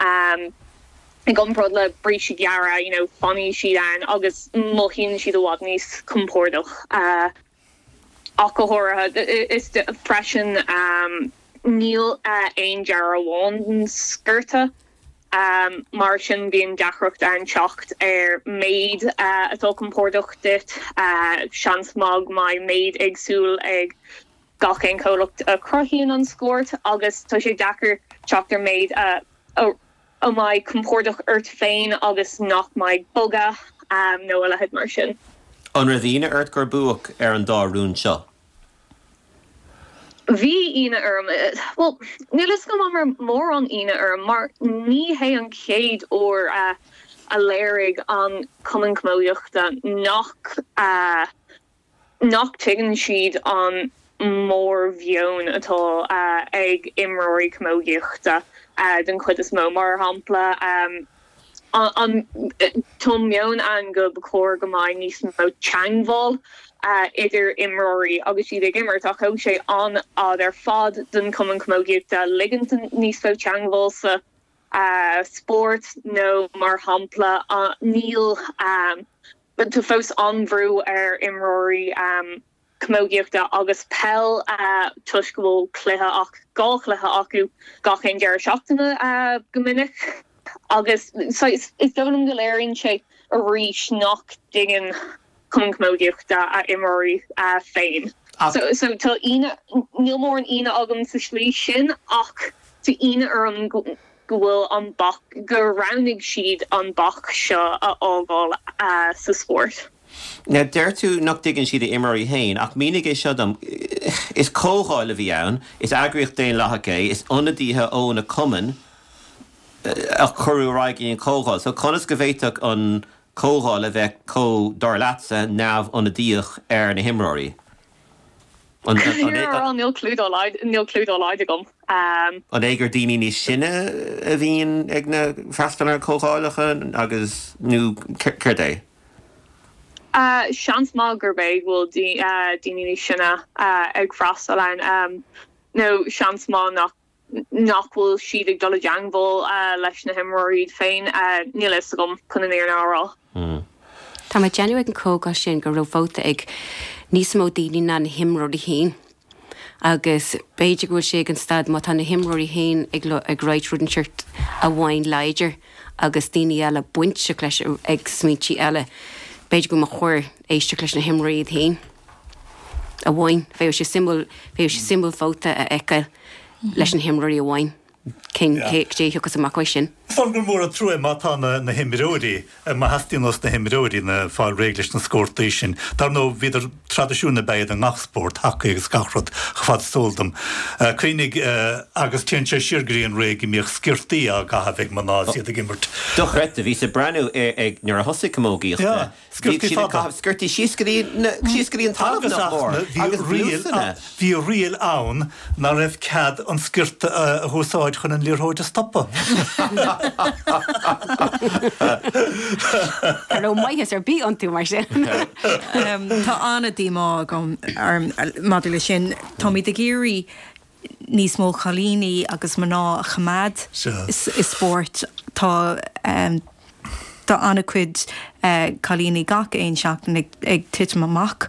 I gcomparáid le brístí gearra, you know, fanfaidh siad ann agus mothaíonn siad i bhfad níos compordach. Ach go háirithe, is freisin, níl aon dearadh amháin den sciorta. Mar sin bíonn deacracht ann teacht ar méid atá compordach duit. Seans maith go mbeidh méid éagsúil ag gach aon chomhlacht a chruthaíonn an scórt agus tá sé deacair teacht ar méid a mbeidh compordach ort féin agus nach mbeidh bogadh nó a leithéid mar sin. An raibh ionadh ort gur buadh ar an dá rún seo? Bhí ionadh orm. Bhuel, níl fhios agam an raibh mórán ionadh orm mar ní hé an chéad uair a léirigh an Cumann Camógaíochta nach nach dtuigeann siad an mórmheon atá ag imreoirí camógaíochta den chuid is mó. Mar shampla, an tá meon ann go ba chóir go mbeidh níos mó teangmháil idir imreoirí agus iad ag imirt ach thóg sé an-fhad ar fad don Chumann Camógaíochta ligint níos mó teangmháil sa spórt nó mar shampla níl tá fós an-bhrú ar imreoirí camógaíochta agus peil toisc go bhfuil cluiche ach 2 chluiche acu gach aon deireadh seachtaine go minic agus is dóigh liom go léiríonn sé arís nach dtuigeann Cumann Camógaíochta a imreoirí féin. So tá ionadh, níl mórán ionadh agam sa slí sin ach tá ionadh orm go bhfuil an bac, gur roghnaigh siad an bac seo a fhágáil sa spórt. Now, deir tú nach dtuigeann siad a imreoirí féin, ach mínigh é seo dom. Is comhdháil a bhí ann, is eagraíocht daonlathach é, is ionadaithe ó na cumainn a cuireadh ar aghaidh go dtí an chomhdháil. So conas go bhféadfadh an chomhdháil a bheith chomh, dar leatsa, neamhionadaíoch ar na himreoirí? An Níl clue dá laghad, níl clue dá laghad agam. An é gur daoine níos sine a bhíonn ag na freastal ar na comhdhálacha agus, nó céard é? Seans maith gurb é go bhfuil daoine níos sine ag freastal ann, nó seans maith nach nach bhfuil siad ag dul i dteangmháil leis na himreoirí iad féin. Níl a fhios agam, chun an fhírinne a rá. Tá mé ag déanamh ag an comhdháil sin go raibh vóta ag níos mó daoine ná na himreoirí féin. Agus b'fhéidir go bhfuil sé ag an staid má tá na himreoirí féin ag ag ráit rud inteacht amháin láidir agus daoine eile bainteach leis ag smaointí eile, b'fhéidir go mba chóir éisteacht leis na himreoirí iad féin amháin. Bheadh sé suimiúil, bheadh sé suimiúil vóta a fheiceáil leis na himreoirí amháin. Cén, cé, cé a thiocfas amach uaidh sin? Is dóigh liom gur mór an trua é má tá na himreoirí, má theastaíonn ós na himreoirí na fáil réidh leis na scórtaí sin. Dar ndóigh, bhíodar, traidisiún ab ea iad i ngach spórt, hacaí agus gach rud, chomh fada is eol dom. Cuimhnigh, agus téann sé siar go dtí an ré go mbíodh sciortaí á gcaitheamh ag mná is iad ag imirt. Dochreidte, bhíos ag breathnú ar nuair a thosaigh camógaíocht. Yeah. Bhíodh siad ag caitheamh sciortaí síos go dtí síos go dtí an talamh nach mór agus blúsanna. Bhí riail ann ná raibh cead an sciorta a úsáid chun an liathróid a stopadh. Ní raibh maitheas ar bith iontu mar sin. Tá an-díomá agam orm maidir leis sin. Táimid ag iarraidh níos mó cailíní agus mná a choimeád i spórt. Tá tá an-chuid cailíní gach aon seachtain ag titim amach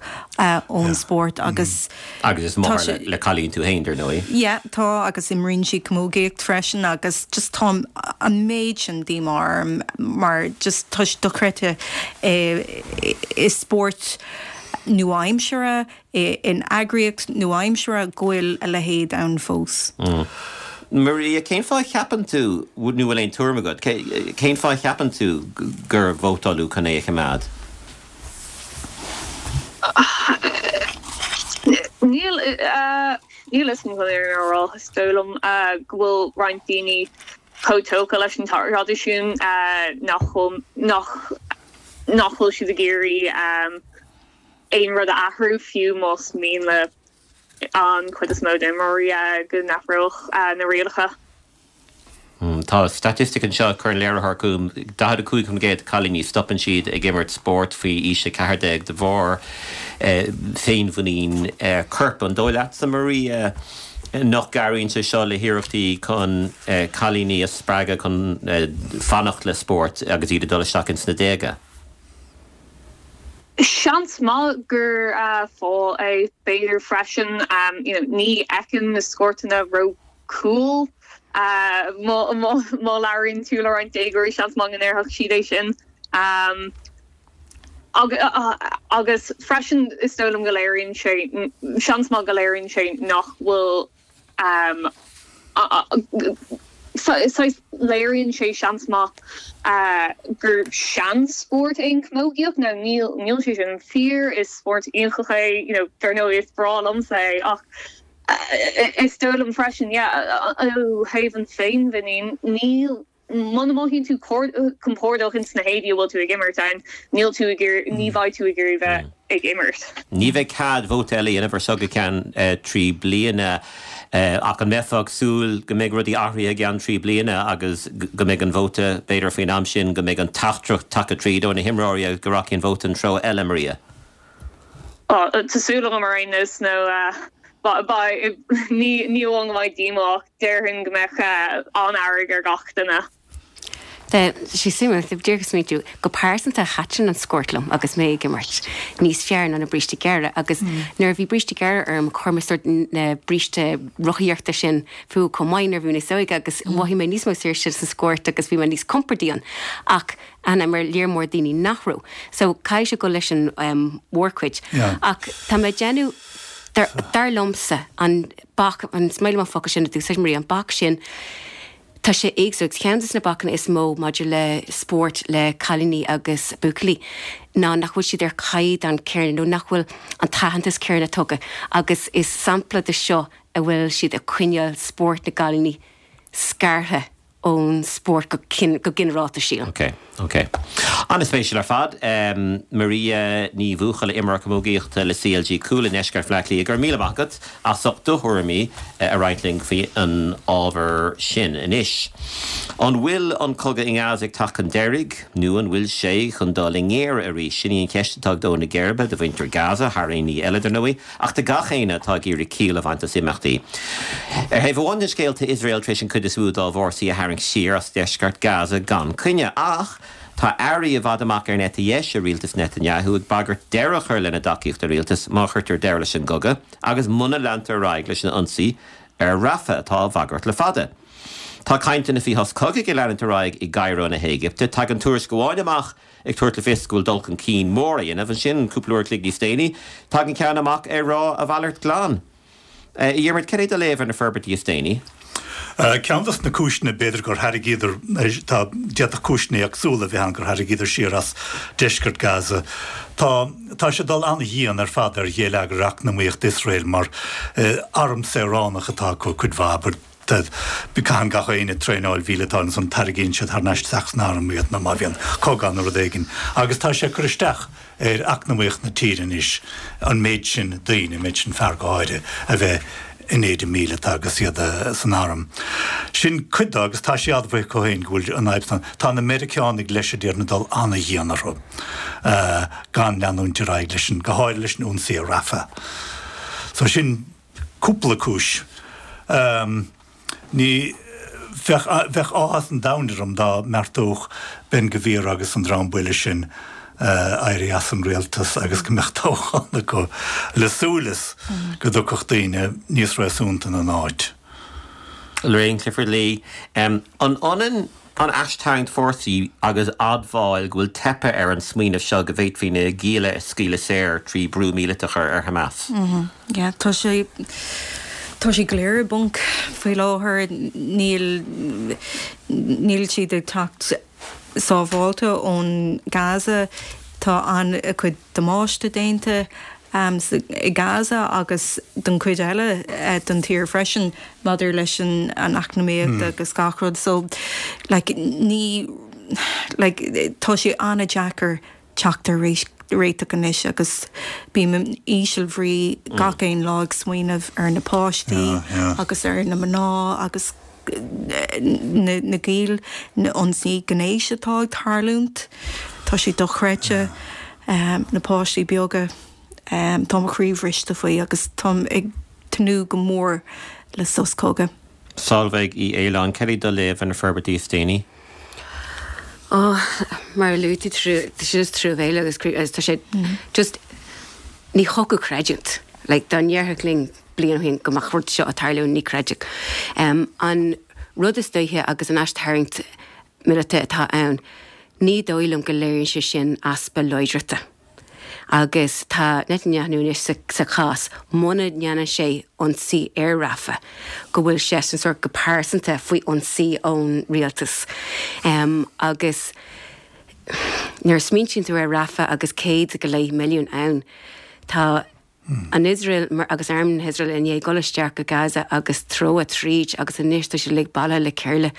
ón spórt agus Agus is máthair le cailín tú féin, dar ndóigh. Yeah, tá agus imríonn sí camógaíocht freisin agus just tá an méid sin díomá orm mar just tá sé dochreidte i spórt nua-aimseartha in eagraíocht nua-aimseartha go bhfuil a leithéid ann fós. Maria, cén fáth a cheapann tú, nó bhfuil aon tuairim agat, cén fáth a cheapann tú gur vótáladh chun é a choimeád? Níl, níl fhios agam chun an fhírinne a rá. Is dóigh liom go bhfuil roinnt daoine chomh tógtha leis an traidisiún nach bhfuil, nach, nach bhfuil siad ag iarraidh aon rud a athrú, fiú más mian le an chuid is mó d'imreoirí go n-athródh na rialacha. Tá staitistic anseo a chuir an léiritheoir chugam, 45% de chailíní stopann siad ag imirt spóirt faoi aois 14 de bharr féinmhuinín coirp. An dóigh leatsa, Maria, nach gcabhraíonn sé seo le hiarrachtaí chun cailíní a spreagadh chun fanacht le spórt agus iad ag dul isteach ins na déaga? Seans maith gur fáth é, b'fhéidir freisin. You know, ní fheicim na sciortanna ró cool. Má má labhraíonn tú le roinnt déagóirí, seans maith go ndéarfadh siad é sin. Agus freisin, is dóigh liom go léiríonn sé, seans maith go léiríonn sé nach bhfuil Saghas, léiríonn sé, seans maith, gur seanspórt é an chamógaíocht. Now níl, níl sé sin fíor, is spórt iontach é, you know, dar ndóigh is breá liomsa é ach is dóigh liom freisin, yeah, ó thaobh an féinmhuinín, níl, Muna mothaíonn tú compordach ins na héadaí a bhfuil tú ag imirt ann, níl tú ag iarraidh, ní bheidh tú ag iarraidh bheith ag imirt. Ní bheidh cead vóta eile a dhéanamh ar seo go ceann 3 bliana. Ach an mbeifeá ag súil go mbeidh rudaí athraithe i gceann 3 bliana agus go mbeidh an vóta, b'fhéidir faoin am sin, go mbeidh an teachtaireacht tagtha tríd ó na himreoirí agus go rachaidh an vóta an treo eile, Maria? Tá súil agam ar aon nós nó beidh, ní amháin go mbeidh díomá ach déarfainn go mbeadh an-fhearg ar gach duine. Tá sé suimiúil, díreach ag smaointiú, go pearsanta thaitin an sciort liom agus mé ag imirt níos fearr ná na brístí gearra agus nuair a bhí bríste gearra orm chuir mé sórt na bríste rothaíochta sin fúm chomh maith nuair a bhí mé níos óige agus mhothaigh mé níos mó saoirse sa sciort agus bhí mé níos compordaí ann ach Ana mar léar mór daoine nach raibh. So caithfidh sé dul leis an mhórchuid. Ach tá mé ag déanamh, dar liomsa, an bac, an is maith liom an focal sin a d'úsáid Maria, an bac sin, tá sé éagsúil. Agus ceann de na bacanna is mó maidir le spórt le cailíní agus buachaillí ná nach bhfuil siad ar chaighdeán céanna nó nach bhfuil an t-aitheantas céanna tugtha. Agus is sampla de seo a bhfuil siad ag coinneáil spórt na gcailíní scartha ón spórt go ginearálta, sílim. Ok, ok. An-spéisiúil ar fad. Maria Ní Bhuachalla, imreoir camógaíochta le CLG Cuala i ndeisceart Bhaile Átha Cliath, go raibh míle maith agat as ucht do thuairimí a roinnt linn faoi an ábhar sin. Anois, an bhfuil an cogadh i nGaza ag teacht chun deiridh nó an bhfuil sé chun dul i ngéire arís? Sin í an cheist atá ag dó na geirbe do mhuintir Gaza, thar aon ní eile, dar ndóigh. Ach do gach éinne atá ag iarraidh ciall a bhaint as imeachtaí. Ar thaobh amháin den scéal tá Iosrael tar éis an chuid is mó dá bhfórsaí a tharraingt siar as deisceart Gaza gan coinne. Ach tá airí i bhfad amach ar an eite dheis i rialtas Netanyahu ag bagairt deireadh a chur lena dtacaíocht do rialtas má chuirtear deireadh leis an gcogadh agus muna leantar ar aghaidh leis an ionsaí ar Rafah atá á bhagairt le fada. Tá cainteanna faoi shos cogaidh ag leanúint ar aghaidh i gCairo na hÉigipte. Tagann tuairisc amháin amach ag tabhairt le fios go bhfuil dul chun cinn mór á dhéanamh. Ansin, cúpla uair a chloig níos déanaí, tagann ceann amach ag rá a mhalairt glan. A Dhiarmaid, cad é do léamh ar na forbairtí is déanaí? Ceann dos na cúiseanna b'fhéidir gur tharraingíodar, tá, d'fhéadfadh cúiseanna éagsúla a bheith ann gur tharraingíodar siar as deisceart Gaza. Tá, tá sé ag dul an-dhian ar fad ar gheilleagar eacnamaíocht Iosrael mar arm saoránach atá acu cuid mhaith, but caitheann gach éinne traenáil mhíleata ansan tarraingíonn siad thar n-ais isteach san arm iad nó má bhíonn cogadh ann nó rud éigin agus tá sé ag cur isteach ar eacnamaíocht na tíre anois an méid sin daoine, an méid sin fear go háirithe, a bheith in éide míleata agus iad san arm. Sin cuid de agus tá sé admhaithe acu féin go bhfuil an fhadhb san. Tá na Meiriceánaigh leis a déarfainn ag dul an-dhian orthu gan leanúint ar aghaidh leis an, go háirithe leis an ionsaí ar Rafah. So sin cúpla cúis. Ní bheadh, bheadh áthas an domhain orm dá mbeartódh Ben Gvir agus an dream buile sin éirí as an rialtas agus go mbeadh toghchán acu le súil is go dtiocfadh daoine níos réasúnta ina n-áit. Lorraine Clifford-Lee, An ionann An aistarraingt fórsaí agus admháil go bhfuil teipthe ar an smaoineamh seo go bhféadfaí na gialla a scaoileadh saor trí brú míleata a chur ar Hamas. Yeah, tá sé, tá sé go léir i bponc faoi láthair. Níl, níl siad ag teacht sábháilte ón Gaza. Tá an-chuid damáiste déanta i Gaza agus don chuid eile den tír freisin maidir leis an eacnamaíocht agus gach rud. So like ní like tá sé an-deacair teacht ar réiteach anois agus bím in íseal bhrí gach aon lá ag smaoineamh ar na páistí agus ar na mná agus na giall, na ionsaí gnéis atá ag tarlúint, tá sé dochreidte, na páistí beaga, tá mo chroí bhriste faoi agus táim ag tnúth go mór le sos cogaidh. Solveig Uí Fhaoláin, cad é do léamh ar na forbairtí is déanaí? Ó, mar a luaigh tú, tá sé just truamhéalach agus tá sé just, ní thiocfadh creidiúint. Like, dá ndéarfadh linn bliain ó shin go mbeadh rud seo ag tarlú, ní chreidfeadh. An rud is dóiche agus an aistarraingt míleata atá ann, ní dóigh liom go léiríonn sé sin easpa láidreachta. Agus tá Netanyahu anois sa chás, muna ndéanann sé ionsaí ar Rafah, go bhfuil seisean sórt go pearsanta faoi ionsaí ón rialtas. Agus nuair a smaointíonn tú ar Rafah agus 100 go leith milliún ann, tá an Iosrael agus arm na hIosrael i ndiaidh dul isteach go Gaza agus treabhadh tríd agus anois tá siad uilig bailithe le chéile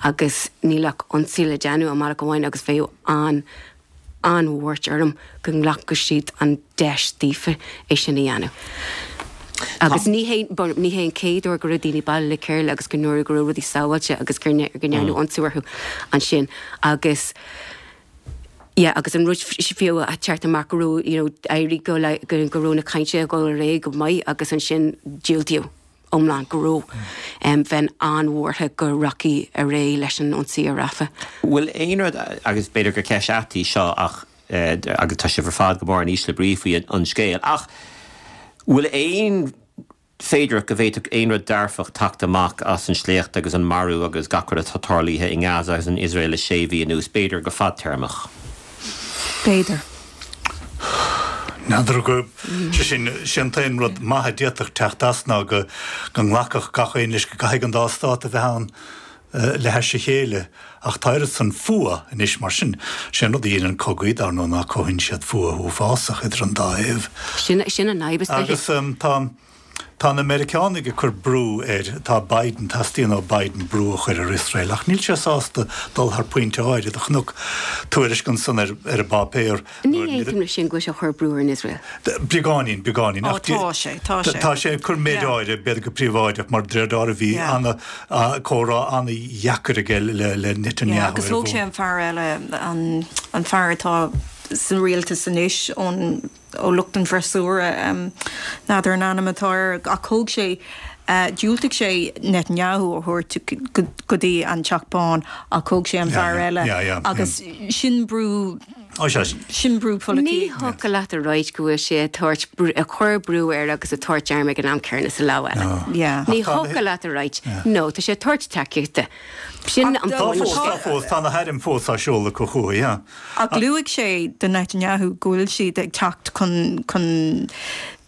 agus níl ach ionsaí le déanamh i mbealach amháin agus bheadh an an-bhuairt orm go nglacfadh siad an deis daofa é sin a dhéanamh. Agus ní hé ní hé an chéad uair go raibh daoine bailithe le chéile agus go ndúradh go raibh rudaí sábháilte agus go ndearnadh ionsaí orthu ansin agus Yeah agus an rud fiú a teacht amach go raibh you know éirí go go go raibh na cainteanna ag dul ar aghaidh go maith agus ansin diúltaíodh iomlán go raibh em bheinn an-bhuartha go rachaí ar aghaidh leis an ionsaí ar Rafah. Bhfuil aon rud, agus b'fhéidir gur ceist ait í seo ach eh agus tá sibh ar fad go mór in ísle brí faoi an scéal ach bhfuil aon féidearthacht go bhféadfadh aon rud dearfach teacht amach as an sléacht agus an marú agus gach rud atá tarlaithe i nGaza agus in Iosrael le sé mhí anuas, b'fhéidir go fadtéarmach. B'fhéidir. N'fheadar go, sé sin, sé an t-aon rud maith a d'fhéadfadh teacht as ná go nglacfadh gach éinne leis go gcaithfidh an dá stát a bheith ann le hais a chéile. Ach tá oiread san fuath anois mar sin. Sé an rud a dhéanann cogaí, dar ndóigh, ná cothaíonn siad fuath uafásach idir an dá thaobh. Sin, sin an fhadhb is dóiche. Agus tá, tá na Meiriceánaigh ag cur brú ar, tá Biden, teastaíonn ó Biden brú a chur ar Iosrael ach níl sé sásta dul thar pointe áirid. Chonac tuairisc ansan ar, ar an bpáipéar. Ní aontaím leis sin go bhfuil sé ag cur brú ar an Iosrael. Beagáinín, beagáinín. Ó, tá sé, tá sé. Tá sé ag cur méid áirithe, b'fhéidir go príobháideach, mar de réir dealraimh bhí ana, comhrá ana-dheacair aige le, le Netanyahu ar an Agus thóg sé an fear eile, an, an fear atá sa rialtas anois ón, ó lucht an bhfreasúra, n'fheadar an ainm atá air, ach thóg sé, dhiúltaigh sé Netanyahu a thabhairt go dtí an Teach Bán ach thóg sé an fear eile agus sin brú, Sin brú Ní polaitíochta. thiocfadh leat a ráit go bhfuil sé ag tabhairt brú, ag cur brú air agus ag tabhairt airm ag an am céanna sa lámh eile. Yeah. Ní thiocfadh leat a ráit, no, tá sé ag tabhairt tacaíochta. Sin an Tá fós, tá fós, tá na hairm fós á seoladh acu chucu, yeah. Ach luaigh sé do Netanyahu go bhfuil siad ag teacht chun, chun,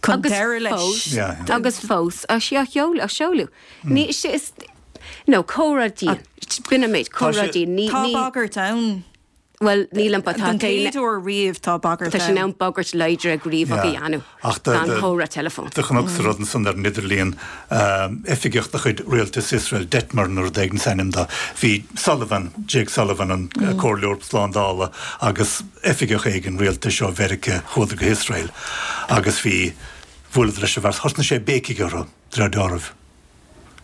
chun Agus deireadh leis. fós, Yeah, yeah. agus fós á seoladh. Ní, is, is. No, comhrá dian. B'in an méid, comhrá dian. Ní, Tá bagairt ann. Bhuel, nílim, but tá Don chéad uair riamh tá bagairt Tá sé in ann bagairt láidre gníomhach a dhéanamh gan comhrá teileafóin. Do chonacsa rud ansan ar an idirlíon, oifigeach de chuid rialtas Iosrael, Detmer nó rud éigin is ainm dó. Bhí Sullivan, Jake Sullivan, an comhairleoir slándála agus oifigeach éigin rialtais ó Mheiriceá, chuadar go hIosrael agus bhí, bhuaileadar leis an bhfear, thosnaigh sé ag béicigh orthu, de réir dealraimh.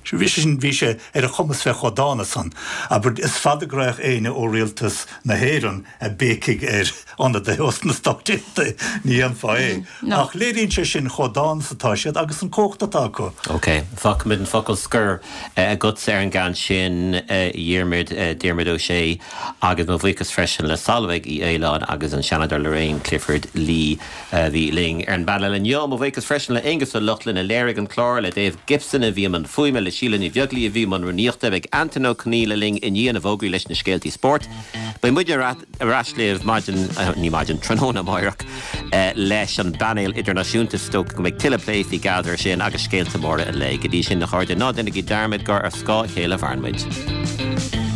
Bhí sé sin, bhí sé ar a chumas bheith chomh dána san. Abair, is fada go raghadh éinne ó rialtas na hÉireann ag béicigh ar ionadaithe ós na Stáit Aontaithe, ní dhéanfá é. Ach léiríonn sé sin chomh dána is atá siad agus an cumhacht atá acu. Ok, fágfaimid an focal scoir agatsa ar an gcaint sin, a Dhiarmuid, Diarmuid Ó Sé, agus mo bhuíochas freisin le Solveig Uí Fhaoláin agus an Seanadóir Lorraine Clifford-Lee. a bhí linn ar an bpainéal inniu. Mo bhuíochas freisin le Aonghus Ó Lochlainn a léirigh an clár, le Dave Gibson a bhí i mbun fuaime, le Síle Ní Bheaglaoí a bhí i mbun rúnaíochta. Beidh Antain Ó Conghaile linn i ndiaidh na bhfógraí leis na scéaltaí spóirt. Beidh muid ar ais libh maidin, ní maidin, tráthnóna amáireach leis an bpainéal idirnáisiúnta. Is dócha go mbeidh tuilleadh plé faoi Gaza ar sin agus scéalta móra an lae. Go dtí sin, a chairde, ná déanaigí dearmad gur ar scáth a chéile a mhaireann muid.